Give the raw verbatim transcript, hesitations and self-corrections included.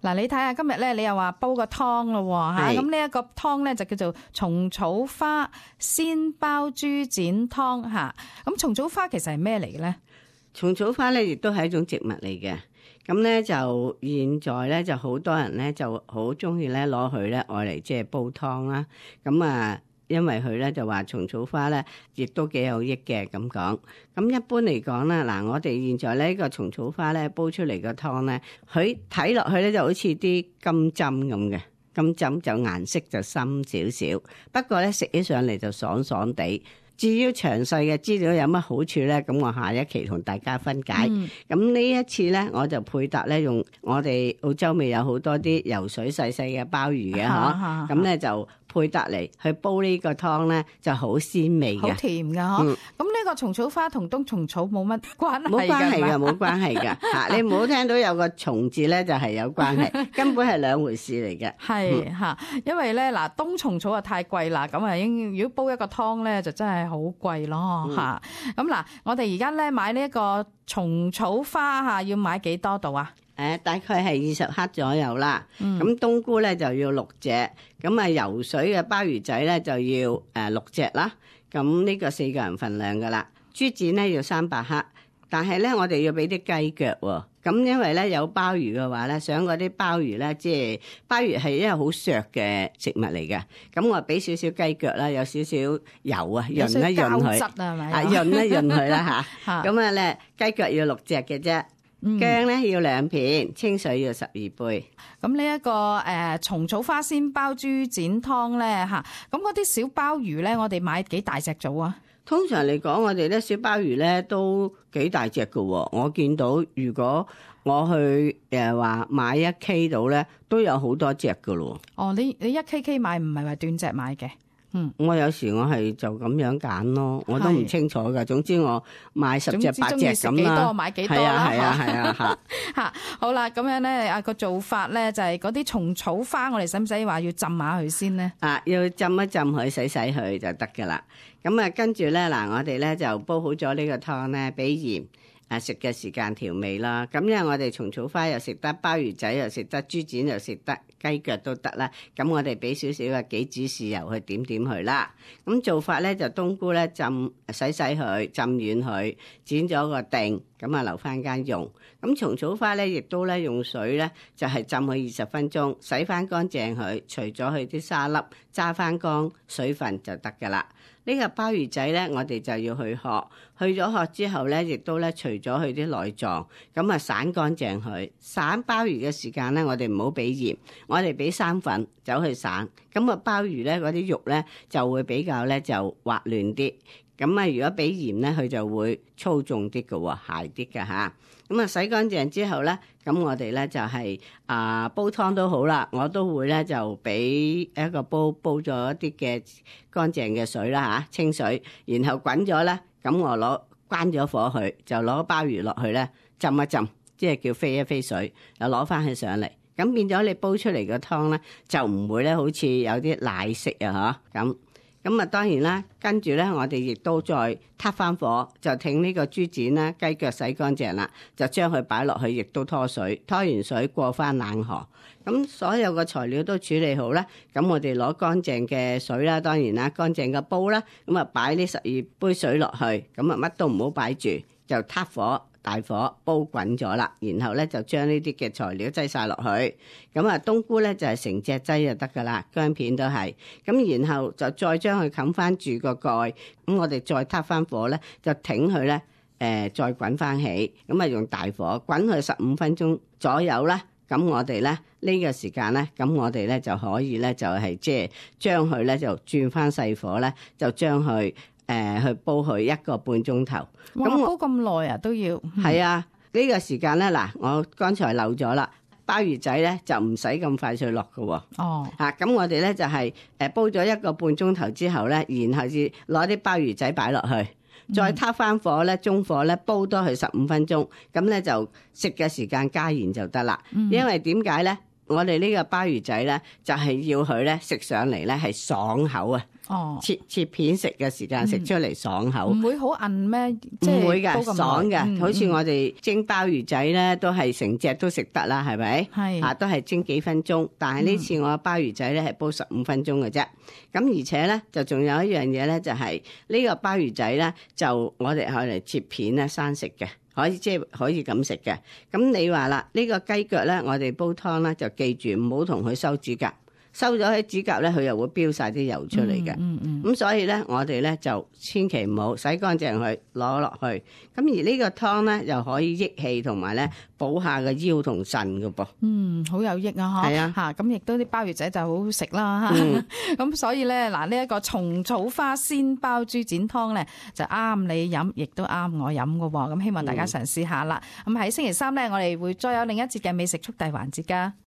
嗱，你睇下今日咧，你又話煲個湯咯吓，咁呢一個湯咧就叫做蟲草花鮮鮑豬展湯吓。咁蟲草花其實係咩嚟嘅咧？蟲草花咧亦都係一種植物嚟嘅。咁咧就現在咧就好多人咧就好中意咧攞佢咧愛嚟即係煲湯啦。咁啊，因為佢咧就話蟲草花咧亦都幾有益嘅咁講。咁一般嚟講啦，嗱我哋現在呢個蟲草花咧煲出嚟個湯咧，佢睇落去咧就好似啲金針咁嘅，金針就顏色就深少少，不過咧食起上嚟就爽爽地。至於詳細嘅資料有乜好處咧，咁我下一期同大家分解。咁呢、嗯、一次咧，我就配搭咧用我哋澳洲咪有好多啲游水細細嘅鮑魚嘅嗬，咁咧就配搭嚟去煲呢個湯咧就好鮮味嘅，好甜㗎嗬。咁呢、嗯、個蟲草花同冬蟲草冇乜關係㗎？冇關係㗎，冇關係㗎嚇。你唔好聽到有個蟲字咧就係有關係，根本係兩回事嚟嘅。係嚇，因為咧嗱冬蟲草啊太貴啦，咁啊應如果煲一個湯咧就真係好貴咯嚇。咁嗱、嗯，我哋而家咧買呢一個蟲草花嚇，要買幾多度啊？誒，大概係二十克左右啦。咁、嗯、冬菇咧就要六隻，咁啊游水嘅鮑魚仔咧就要誒六隻啦。咁呢個四個人份量噶啦。豬展咧要三百克，但係咧我哋要俾啲雞腳喎。咁因為咧有鮑魚嘅話咧，想嗰啲鮑魚咧，即係鮑魚係因為好削嘅食物嚟嘅。咁我俾少少雞腳啦，有少少油啊，潤一潤佢，啊潤一潤佢啦嚇。咁啊咧雞腳要六隻嘅啫。薑咧要兩片，清水要十二杯。咁呢一個誒蟲草花鮮鮑豬展湯咧嚇，咁嗰啲小鮑魚咧，我哋買幾大隻組啊？通常嚟講，我哋咧小鮑魚咧都幾大隻㗎喎。我見到如果我去誒話買一 K 到咧，都有好多隻㗎咯。哦，你你一 K K 買唔係話斷隻買嘅？嗯，我有時我係就咁樣揀咯，我都唔清楚噶。總之我買十隻八隻咁啦，多買幾多啦，係啊係啊係啊吓。好啦，咁樣咧啊個做法咧就係嗰啲蟲草花，我哋使唔使話要浸下佢先咧？啊，要浸一浸佢，洗洗佢就得噶啦。咁啊，跟住咧嗱，我哋咧就煲好咗呢個湯咧，俾鹽。啊！食嘅時間調味啦，咁因為我哋蟲草花又食得，鮑魚仔又食得，豬展又食得，雞腳都得啦。咁我哋俾少少嘅杞子豉油去點點佢啦。咁做法咧就冬菇咧浸洗洗佢，浸軟佢，剪咗個定，咁啊留翻間用。咁蟲草花咧亦都咧用水咧就係浸佢二十分鐘，洗翻乾淨佢，除咗佢啲沙粒，揸翻乾水分就得噶啦。呢個鮑魚仔咧，我哋就要去殼，去咗殼之後咧，亦都咧除咗佢啲內臟，咁啊散乾淨佢。散鮑魚嘅時間咧，我哋唔好俾鹽，我哋俾生粉走去散。咁啊鮑魚咧嗰啲肉咧就會比較咧就滑嫩啲。咁啊如果俾鹽咧，佢就會粗重啲嘅喎，鞋啲嘅嚇。咁啊洗乾淨之後咧，咁我哋咧就係、是、啊煲湯都好啦，我都會咧就俾一個煲煲咗一啲嘅乾淨嘅水啦嚇，清水，然後滾咗咧，咁我攞關咗火去，就攞鮑魚落去咧浸一浸，即係叫飛一飛水，又攞翻佢上嚟，咁變咗你煲出嚟嘅湯咧就唔會咧好似有啲奶色啊嚇咁。咁啊，當然啦，跟住咧，我哋亦都再撻翻火，就挺呢個豬展啦，雞腳洗乾淨啦，就將佢擺落去，亦都拖水，拖完水過翻冷河。咁所有嘅材料都處理好啦，咁我哋攞乾淨嘅水啦，當然啦，乾淨嘅煲啦，咁啊擺呢十二杯水落去，咁啊乜都唔好擺住，就撻火。大火煲滾咗啦，然後咧就將呢啲嘅材料擠晒落去，咁啊冬菇咧就係成隻擠就得噶啦，薑片都係，咁然後就再將佢冚翻住個蓋，咁我哋再撻翻火咧，就挺佢咧，誒、呃、再滾翻起，咁啊用大火滾佢十五分鐘左右啦，咁我哋咧呢個時間咧，咁我哋咧就可以咧就係即係將佢咧就轉翻細火咧，就將佢。誒、呃、去煲佢一個半鐘頭，咁煲咁耐啊都要。係啊，呢、這個時間咧嗱，我剛才漏咗啦，鮑魚仔咧就唔使咁快脆落㗎喎。哦，嚇、啊，咁我哋咧就係、是、誒煲咗一個半鐘頭之後咧，然後至攞啲鮑魚仔擺落去，再撻翻火咧，中火咧煲多佢十五分鐘，咁咧就食嘅時間加鹽就得啦。嗯、因為點解咧？我哋呢個鮑魚仔咧，就係、是、要佢咧食上嚟咧係爽口啊！哦，切切片食嘅時間食出嚟爽口。唔會好韌咩？即係唔會㗎，煲咁耐爽嘅。嗯好似我哋蒸鮑魚仔咧，都係成隻都食得啦，係咪？係啊，都係蒸幾分鐘。但係呢次我鮑魚仔咧係煲十五分鐘嘅啫。咁而且咧就仲有一樣嘢咧，就係呢個鮑魚仔咧，就我哋可嚟切片咧生食嘅。可以即係可以咁食嘅。咁你話啦，呢個雞腳咧，我哋煲湯咧就記住唔好同佢收指甲，收咗喺指甲咧，佢又會飆晒啲油出嚟嘅。嗯嗯咁所以咧，我哋咧就千祈唔好洗乾淨佢攞落去。咁而呢個湯咧又可以益氣同埋咧補下個腰同腎嘅噃。嗯，好有益啊！嗬，係啊嚇咁亦都啲鮑魚仔就好好食啦。咁、嗯、所以咧嗱，呢一個蟲草花鮮鮑豬展湯咧就啱你飲，亦都啱我飲嘅喎。咁希望大家嘗試下啦。咁喺、嗯、星期三咧，我哋會再有另一節嘅美食速遞環節㗎。